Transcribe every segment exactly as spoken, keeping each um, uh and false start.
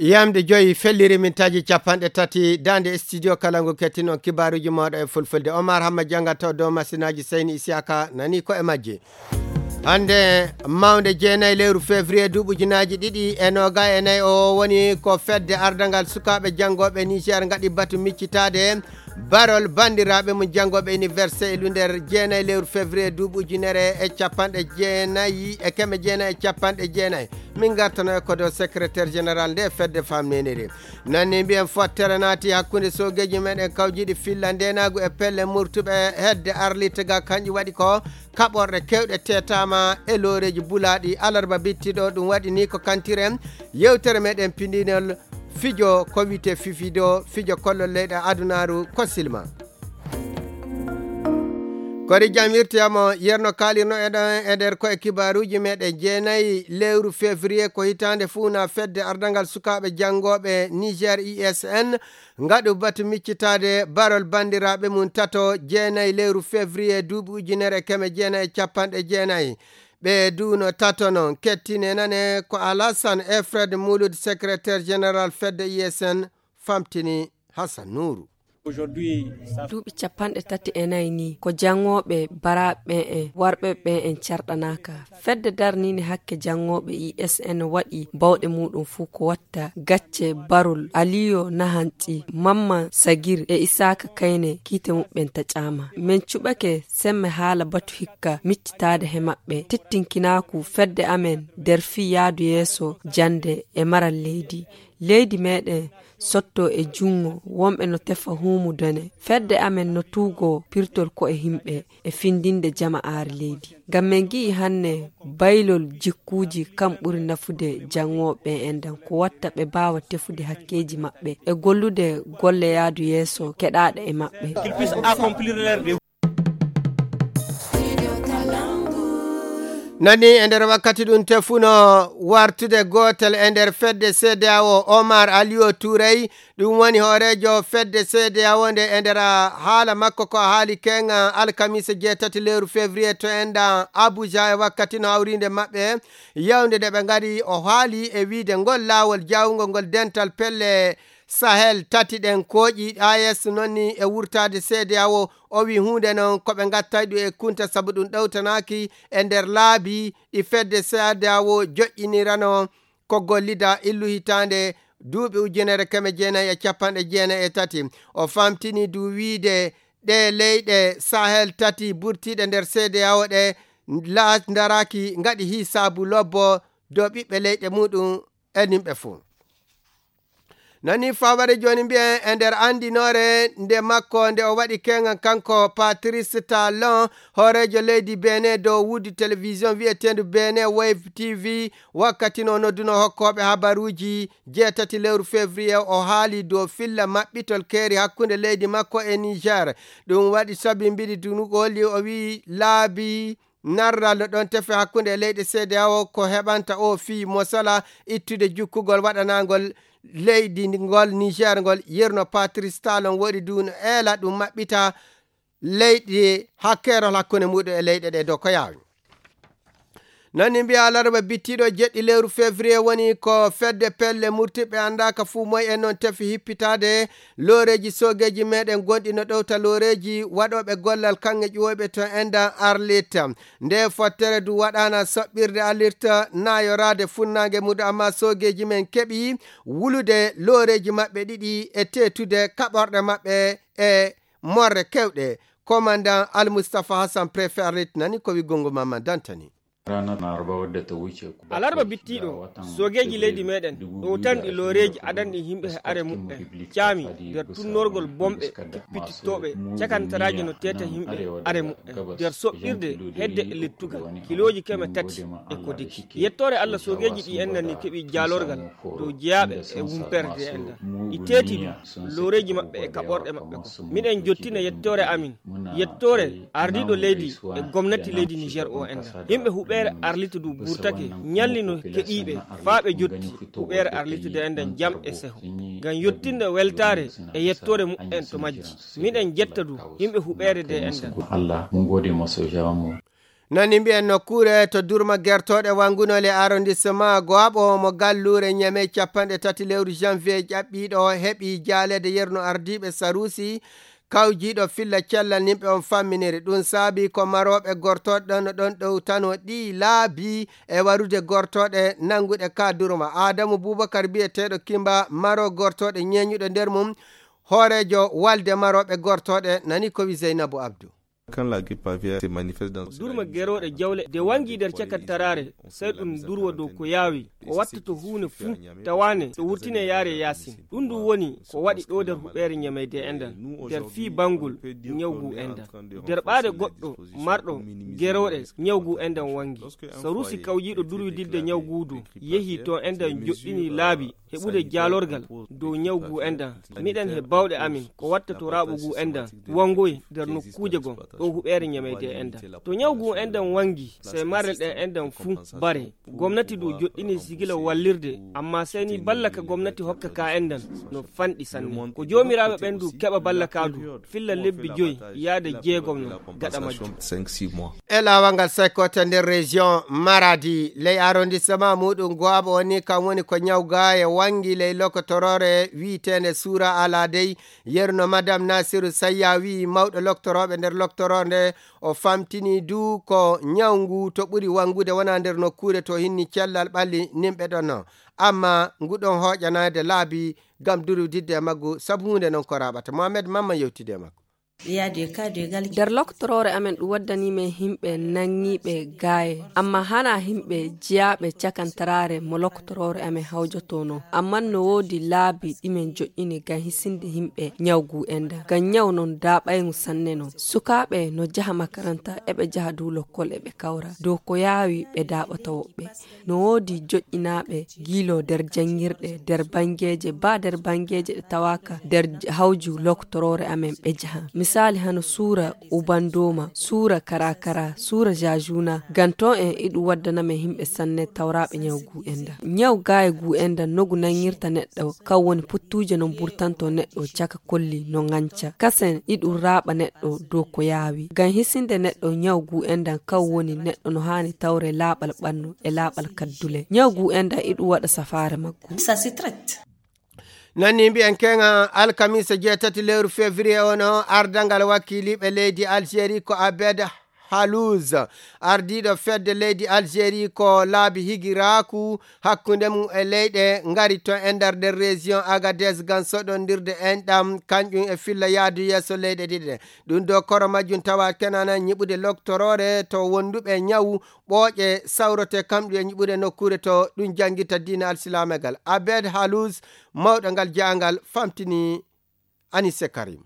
Yamde joyi felliri mintaaji capanɗe tati, daande studio kala ngu kettinon kibaaruuji mooɗo e fulfulde. Omar Hamma jannga taw dow masinaaji Seyni Isiyaka nani ko e majji. Hannde mawnde jeenayi lewru février duuɓi ujunaaji ɗiɗi e noogayi e nayi o woni ko fedde ardangal sukaaɓe janngooɓe Niger ngaɗi batu miccitaade barol banndiraaɓe mum janngooɓe université e lunder jeenayi lewru février duuɓi ujunere e capanɗe jeenayi e keme jeenayi e capanɗe jeenayi. Min ngartano e ko dow secrétaire général nde fedde famnenere. Nanni mbiyen fottere naati hakkunde soogeeji meɗen kawjiiɗi filla ndenaagu e pelle murtuɓe hedde arlita ga kanƴi waɗi ko kaɓorɗe kewɗe teetaama e looreeji bulaaɗi alarba bittiɗo. Ɗum waɗi ni ko kantiren yewtere meɗen pindinol fijo ko wiyte fifido fijo kollol leyɗe adunaaru ko silma. Kori jam wirtoyamo yerno kaalirno eɗen e nder ko e kibaaruuji meɗen jeenayi lewru février ko hitaande fuuna fedde ardangal sukaaɓe janngooɓe Niger I S N ngaɗu batu miccitaade barol banndiraaɓe mum tato jeenayi lewru février duuɓi ujunere e keme jeenayi e capanɗe jeenayi. Ɓe duuno tato noon kettine nane ko Alassane e Fred Mouloud secrétaire général fedde I S N famtini Hassan Nourou. Duuɓi capanɗe tati e nayi ni ko janngooɓe baraaɓe ɓen en warɓe ɓen en carɗanaaka. Fedde darniinde hakke janngooɓe I S N waɗi bawɗe muɗum fuu ko watta gacce barol Aliyo Nahanci, Mamman Sagir e Isaaka Kayne kiite muɓɓen taƴaama. Min cuɓake semme haala batu hikka miccitaade he maɓɓe. Tittinkinaaku fedde amen nder fii yaadu yeeso jannde e maral leydi. Leydi meɗen sotto e junngo wonɓe no tefa huumudone. Fedde amen no tuugoo pirtol ko'e himɓe e findinde jama'aare leydi. Ngam men ngi'i hannde baylol jikkuuji kam ɓuri nafude janngooɓe en ɗan ko watta ɓe mbaawa tefude hakkeeji maɓɓe e gollude golle yaadu yeeso keɗaaɗe e maɓɓe. Nani e nder wakkati ɗum tefuno wartude gootel e nder fedde C D A O Omar Aliyo Tuurey, ɗum woni hooreejo fedde C D A O nde e nder haala makko ko haali keŋa alkamisa jeetati lewru février to enɗan Abuja e wakkati no hawrinde maɓɓe yawde nde ɓe ngari o haali e wiide ngol laawol jawngol ngol dental pelle Sahel tati ɗen kooƴi A E S noon ni e wurtaade C D A O. O wi huunde noon ko ɓe ngattay ɗum e kunta sabu ɗum ɗowtanaaki e nder laabi ɗi fedde C D A O joƴƴinirano ko gollida illu hitaande duuɓi ujunere keme jeenayi e capanɗe jeenayi e tati. O famtini du wiide ɗe leyɗe Sahel tati burtiiɗe nder C D A O ɗe la- ndaraaki ngaɗi hisaabu lobbo dow ɓiɓɓe leyɗe muɗum e nimɓe fuu. Nani faware jooni mbiyen e nder anndinoore nde makko nde o waɗi keŋan kanko Patrice Talon hooreejo leydi Benin dow wuudi télévision wiyeteendu Benin Wave T V wakkati no nodduno hokkooɓe habaruuji jeetati lewru février o haali dow filla maɓɓitol keeri hakkunde leydi makko e Niger. Ɗum waɗi sabi mbiɗi dunugol o wii laabi narral no ɗon tefe hakkunde e leyɗe C D A O ko heɓanta o fii mosala ittude jukkugol waɗanangol leydi ngol Niger ngol yirno Patrice Talon woɗi du no eela ɗum maɓɓita leyɗe hakkeerol hakkunde muɗum e leyɗe ɗe dow ko yaawi. Nani mbiya alarba bittiɗo jeɗɗi lewru février woni ko fedde pelle murtiɓe anndaaka fuu moy en noon tefi hippitaade looreeji soogeeji meɗen gonɗi no ɗowta looreeji waɗooɓe gollal kaŋŋe ƴuwoyɓe to enɗan arlita. Nde fottere du waɗaana soɓɓirde alirta naayoraade funnaange muɗum amma soogeeji men keɓi wulude looreeji maɓɓe ɗiɗi e teetude kaɓorɗe maɓɓe e morre kewɗe. Komandan Almustafa Hassan préfet arlit nani ko wiggol ngol Mamman Dantani. Alarba bittiiɗo, soogeeji leydi meɗen ɗowtanɗi looreeji adanɗi yimɓe he are muɓɓen caami nder tunnorgol bomɓe kippitittooɓe cakantaraaji no teeta yimɓe are muɓɓen nder soɓɓirde hedde e lettugal kilooji keme tati e ko deki. Yettoore Allah soogeeji ɗi en nani keɓi jaalorgal dow jeyaaɓe e wumpere D N D. Ɗi teeti ɗum looreeji maɓɓe e kaɓorɗe maɓɓe ko. Miɗen jottina yettoore amin, yettoore ardiiɗo leydi e gomnati leydi Niger o enɗan. Yimɓe huɓeere arlita du burtake ñalli no keɗiiɓe faa ɓe jotti huɓeere arlita D N D jam e seho. Ngam yottinde weltaare e yettoore muɓɓen to majji. Miɗen jetta du yimɓe huɓeere D N D. Allah, mun gode mo sojawa mo. Nani mbiyen nokkuure to durma gertooɗe wanngunoo le arrondissement Goaɓo mo galluure Ñamey capanɗe tati lewru janvier ƴaɓɓiiɗo heɓi jaaleede yerno ardiiɓe Saruusi kawjiiɗo filla cellal nimɓe on famminiri. Ɗum saabi ko marooɓe gortooɗe ɗon no ɗon ɗowtano ɗi laabi e warude gortooɗe nannguɗe ka durma. Aadamu Bubakar biyeteeɗo Kimba maro gortooɗe ñeeñuɗo nder mum hooreejo walde marooɓe gortooɗe nani ko wi Zeynabu Abdu. Kan la grippe aviaire se manifeste dans durma gerooɗe jawle de wangi nder cakantaraare, sey ɗum durwa dow ko yaawi ko watta to huunde fuu tawaane so wurtine yaare yaasin. Ɗum ɗum woni ko waɗi ɗo nder huɓeere ñameyde enɗan nder fii banngol ñawgu enɗan. Nder ɓaade goɗɗo marɗo gerooɗe ñawgu enɗan wangi. Saruusi kawjiiɗo durwididde ñawguudu yehi to enɗan joɗɗini laabi heɓude jaalorgal dow ñaw ngu enɗan. Miɗen he bawɗe amin ko watta to raaɓo ngu enɗan wangoyi nder nokkuuje gon ɗo huɓeere ñameyde enɗan. To ñaw ngu enɗan wangi, sey marle ɗen enɗan fuu bare. Gomnati ndu joɗɗini sigila wallirde, amma sey ni balla ka gomnati hokka ka enɗan no fanɗi sanne. Ko joomiraaɓe ɓen ndu keɓa balla ka ndu filla lebbi joyi yaade jeegom no gaɗa majjum. E laawal ngal sekkoto nder région Maradi, ley arrondissement muɗum Goaɓo woni kam woni ko ñaw gaaye wangi ley lokotoroore wi'eteende Suura Aladey. Yerno Madame Nasiru Sayya wi'i mawɗo loktorooɓe nder loktoroo nde, o famtini du ko ñaw ngu to ɓuri wangude wona nder nokkuure to hinni cellal ɓalli nimɓe ɗon no. Amma ngu ɗon hooƴanaade laabi ngam durwididde e maggu sabu huunde non ko raaɓata. Mohamed Mamma yewtidi e maggu. Nder lokotoroore amen ɗum waddanii men yimɓe nangiiɓe gaaye, amma hanaa yimɓe jiyaaɓe cakantaraare mo lokotoroore amen hawjotonoo. Amma no woodi laabi ɗi men joƴƴini ngam hisinde yimɓe ñaw ngu enɗan. Ngam ñaw non daaɓayngu sanne non. Sukaaɓe no jaha makaranta, eɓe jaha du lokkol eɓe kawra. Dow ko yaawi ɓe daaɓata woɓɓe. No woodi joƴƴinaaɓe giilo nder janngirɗe, nder banngeeje, baa nder banngeeje ɗe tawaaka nder hawju lokotoroore amen ɓe jaha. Misaali hano suura Ubandooma, suura Karakara, suura Jajuna, ngam ton en iɗum waddana men yimɓe sanne tawraaɓe ñaw ngu enɗan. Ñaw gaaye ngu enɗan no ngu nanngirta neɗɗo, kan woni puttuuje no mburtanto neɗɗo caka kolli no ŋanca. Kasen iɗum raaɓa neɗɗo dow ko yaawi. Ngam hisinde neɗɗo ñaw ngu enɗan kan woni neɗɗo no haani tawre laaɓal ɓannu e laaɓal kaddule. Ñaw ngu enɗan iɗum waɗa safaare maggu. Nanni mbiyen keŋa alkamisa jeetati lewru février ono ardangal wakkiliiɓe leydi Algérie ko Abed Halouz, ardiiɗo fedde leydi Algérie ko laabi higiraaku hakkunde mum e leyɗe ngari to e nder nder région Agadez ngam soɗondirde enɗam kanƴum e filla yaadu yeeso leyɗe ɗiɗi ɗe. Ɗum ɗo koro majjum tawa kenana ñiɓude loktoroore to wonduɓe ñawu ɓooƴe sawrote kamɗum e ñiɓude nokkuure to ɗum janngita diina alsilamegal. Abed Halouz, mawɗo ngal jaangal, famtini Anise Karim.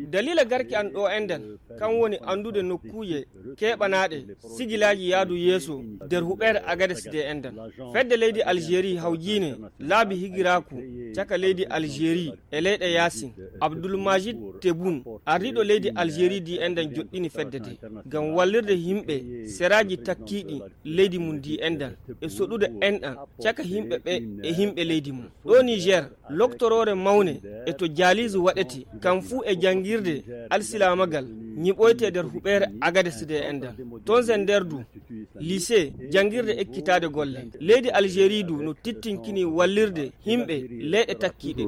Dalila garki an ɗo enɗan kan woni anndude nokkuuje keɓanaaɗe sigilaaji yaadu yeeso nder huɓeere Agades de enɗan. Fedde leydi Algérie hawjiine laabi higiraaku caka leydi Algérie e leyɗe yaasin. Abdul Majid Tebboune, ardiiɗo leydi Algérie di enɗan joɗɗini fedde de ngam wallirde yimɓe seraaji takkiiɗi leydi mum di enɗan e soɗude enɗan caka yimɓe ɓe e yimɓe leydi mum. Ɗo Niger, loktoroore mawne e to jaaliisu waɗete, kam fuu e janngirde alsilaamagal ñiɓoyte nder huɓeere Agades de enɗan. Ton e nder du, lycée, janngirde ekkitaade golle. Leydi Algérie du no tittinkini wallirde yimɓe leyɗe takkiiɗe.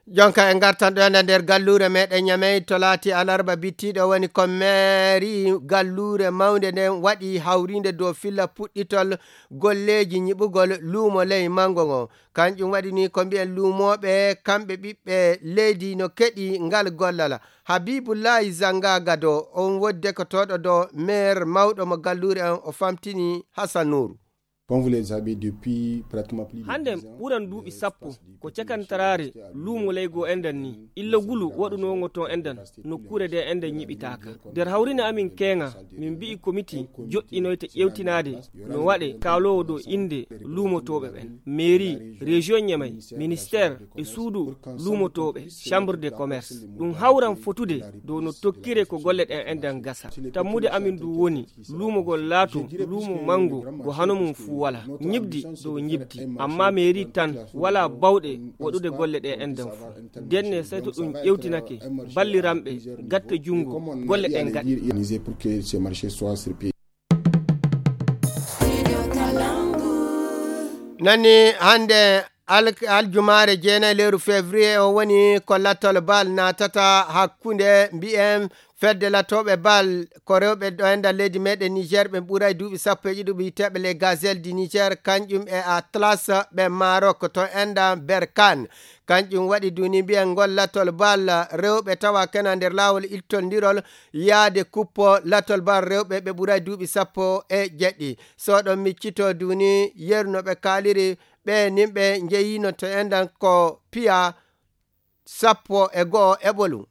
Jonka e ngartan ɗo enen nder galluure meɗen Ñamey to laati alarba bittiɗo woni ko meeri galluure mawnde nden waɗi hawrinde dow filla puɗɗitol golleeji ñiɓugol luumo ley mango ngo. Kanƴum waɗi ni ko mbiyen luumooɓe kamɓe ɓiɓɓe leydi no keɗi ngal gollala. Habibullahi Zanga Gado on wodde ko toɗo do maire mawɗo mo galluure on o famtini Hassan Nourou. Hannden ɓuran duuɓi sappo ko cakantaraare luumo leygo enɗan ni illa gulu waɗunoo ngo toon enɗan nokkuure nde enɗan ñiɓitaaka. Nder hawrine amin keeŋa min mbi'i komiti joɗɗinoyta ƴeewtinaade no waɗe kaaloowo dow innde luumotooɓe ɓen, meeri, rejiyon Ñamey, ministeer e suudu luumotooɓe, chambre de commerce. Ɗum hawran fotude dow no tokkiree ko golle ɗen enɗan gasa. Tammude amin ndu woni luumo ngol laato luumo manngo ngo hano mum fuu. Wala ñibdi ɗo ñibdi, amma mairie tan wala bawɗe waɗude golle ɗe enɗan fu. Denne, sey to ɗum ƴewtinake, balliranɓe, gatta junngo, golle ɗen gaɗa. Nani hannde al-, aljumaare jeenayi lewru février o woni ko lattol bal naatata hakkunde mbiyen fedde lattooɓe bal ko rewɓe ɗo e nder leydi meɗen Niger, ɓe ɓuray duuɓi sappo e ɗiɗi, ɓe wiyteeɓe les Gazelles du Niger, kanƴum e Atlas ɓe Maroc to enda Berkane. Kanƴum waɗi duni mbiyen ngol lattol bal rewɓe tawa kena nder laawol ittondirol yaade kuppo lattol bal rewɓe ɓe ɓuray duuɓi sappo e jeɗɗi. So ɗon miccito duni yeru no ɓe kaaliri ɓe nimɓe njeyino to endan ko piya sappo e go'o e ɓolum.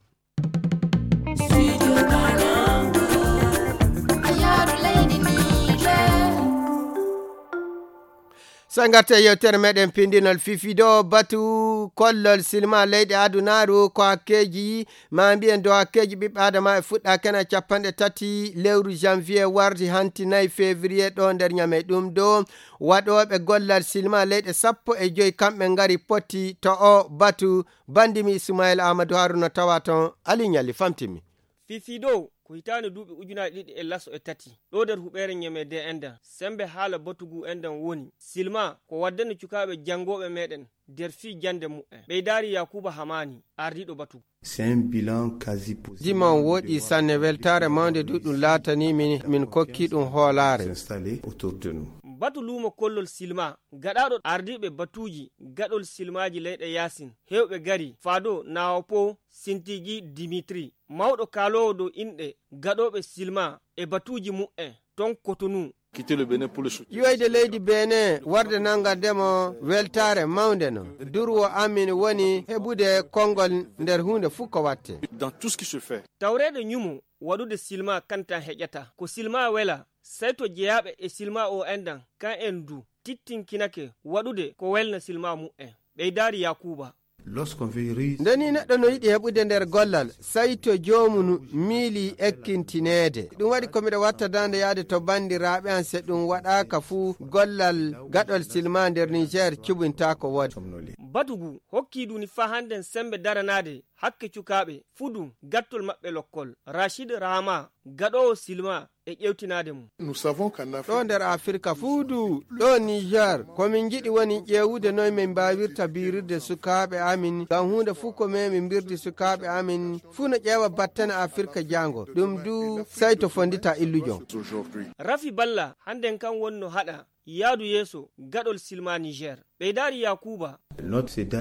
So ngatte yewtere meɗen pindinol fifi do batu kollol silma leyɗe adunaaru ko hakkeeji ma mbiyen do hakkeeji ɓiɓɓe adama e fuɗɗa kena capanɗe tati lewru janvier wardi hanti nayi février ɗo nder ñame ɗum do waɗooɓe gollal silma leyɗe sappo e joyi kamɓe ngari poti to o batu. Bandimi Ismail Amadou Haruna tawa ton Ali Ñalli famtimi. Fifi do ko hitaande duuɓi ujunaaji ɗiɗi e laso e tati ɗo nder huɓeere ñeme de enda sembe haala batugu endan woni silma ko waddani cukaaɓe janngooɓe meɗen nder fii jannde mu'en. Ɓeydaari Yakuba Hamani, ardiiɗo batugu. C'est un bilan quasi positif. Diman woɗi sanne weltaare mawnde du ɗum laatani min, min kokki ɗum hoolaare. S'installer autour de nous. Batu luumo kollol silma gaɗaaɗo ardiiɓe batuuji gaɗol silmaaji leyɗe yaasin heewɓe gari faado naawo po Sintigi Dimitri, mawɗo kaaloowo dow inɗe gaɗooɓe silma e batuuji mu'en ton Kotonu. Quitter le Bénin pour le soutien. Yoyde leydi Benin warde nangardemo weltaare mawnde no. Durwo amin woni heɓude konngol nder huunde fuu ko watte. Dans tout ce qui se fait. Tawreede ñumo waɗude silma kantan heƴata. Ko silma wela, sey to jeyaaɓe e silma o endan, kan en du, tittinkinake waɗude ko welna silma mu'en. Ɓeydaari Yakuba. Lorsqu'on veut réussir. Nde ni neɗɗo no yiɗi heɓude nder gollal, sey to joomum miili ekkintineede. Ɗum waɗi ko miɗo watta daande yaade to banndiraaɓe an, se ɗum waɗaaka fuu gollal gaɗol silma nder Niger cubintaako woode. Batugu hokki duni faa hannden sembe daranaade hakke cukaaɓe fudu gattol maɓɓe lokkol. Rachid Rahama, gaɗoowo silma e ƴewtinaade mum. Nous savons qu'en Afrique. Ɗo nder Afirka fuu du, ɗo Niger, ko min njiɗi woni ƴeewude noy min mbaawirta biirirde sukaaɓe amin, ngam huunde fuu ko min min mbirdi sukaaɓe amin, fuu no ƴeewa battane Afirka jaango. Ɗum du, sey to fondita illujo. Aujourd'hui. Rafi Balla, hannden kan wonno haɗa yaadu yeeso gaɗol silma Niger. Ɓeydaari Yakuba.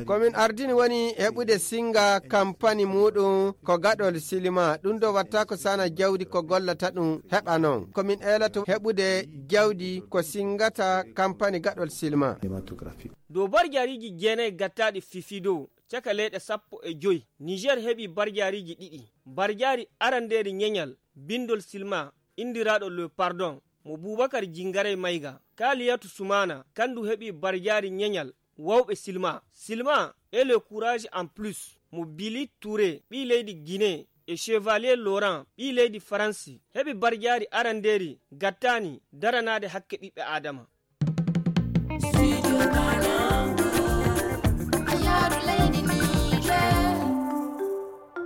Ko min ardini woni heɓude singa kampani muuɗum ko gaɗol silma. Ɗum ɗo watta ko sana jawdi ko gollata ɗum heɓa noon. Ko min eelato heɓude jawdi ko singata kampani gaɗol silma. Dow barjaariiji jeenayi gattaaɗi fifi dow caka leyɗe sappo e joy, Niger heɓi barjaariiji ɗiɗi. Barjaari arandeeri ñeñal binndol silma inndiraaɗo Le Pardon mo Bubakar Jingarey Mayga, Kaliyatu Sumana, kandu heɓi barjaari ñeñal wawɓe silma. Silma et le courage en plus mo Billy Touré, ɓii leydi Guinée, e Chevalier Laurent, ɓii leydi Faransi, heɓi barjaari arandeeri gattaani daranaade hakke ɓiɓɓe Aadama.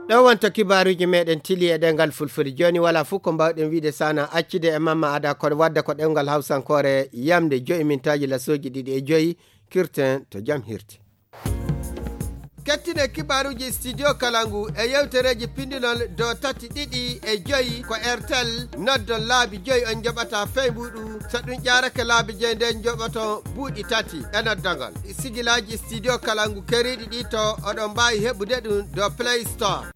Ɗo wonto kibaaruuji meɗen tili e ɗengal fulfulde. Jooni wala fof ko mbawɗen wiide sana accide e Mamma Ada ko wadda ko ɗemngal hawsankoore yamde joyi mintaaji lasooji ɗiɗi e joyi kirten to jam hirti. Kettine kibaaruuji studio kala ngu e yewtereeji pindinol do tati ɗiɗi e joyi ko R T L noddon laabi joyi on njoɓata feybuɗu. So ɗum ƴaarake laabi joyi nden njoɓoto buuɗi tati e noddagol. Sigilaaji studio kala ngu keriiɗi ɗi to oɗon mbaawi heɓude ɗum do Play Store.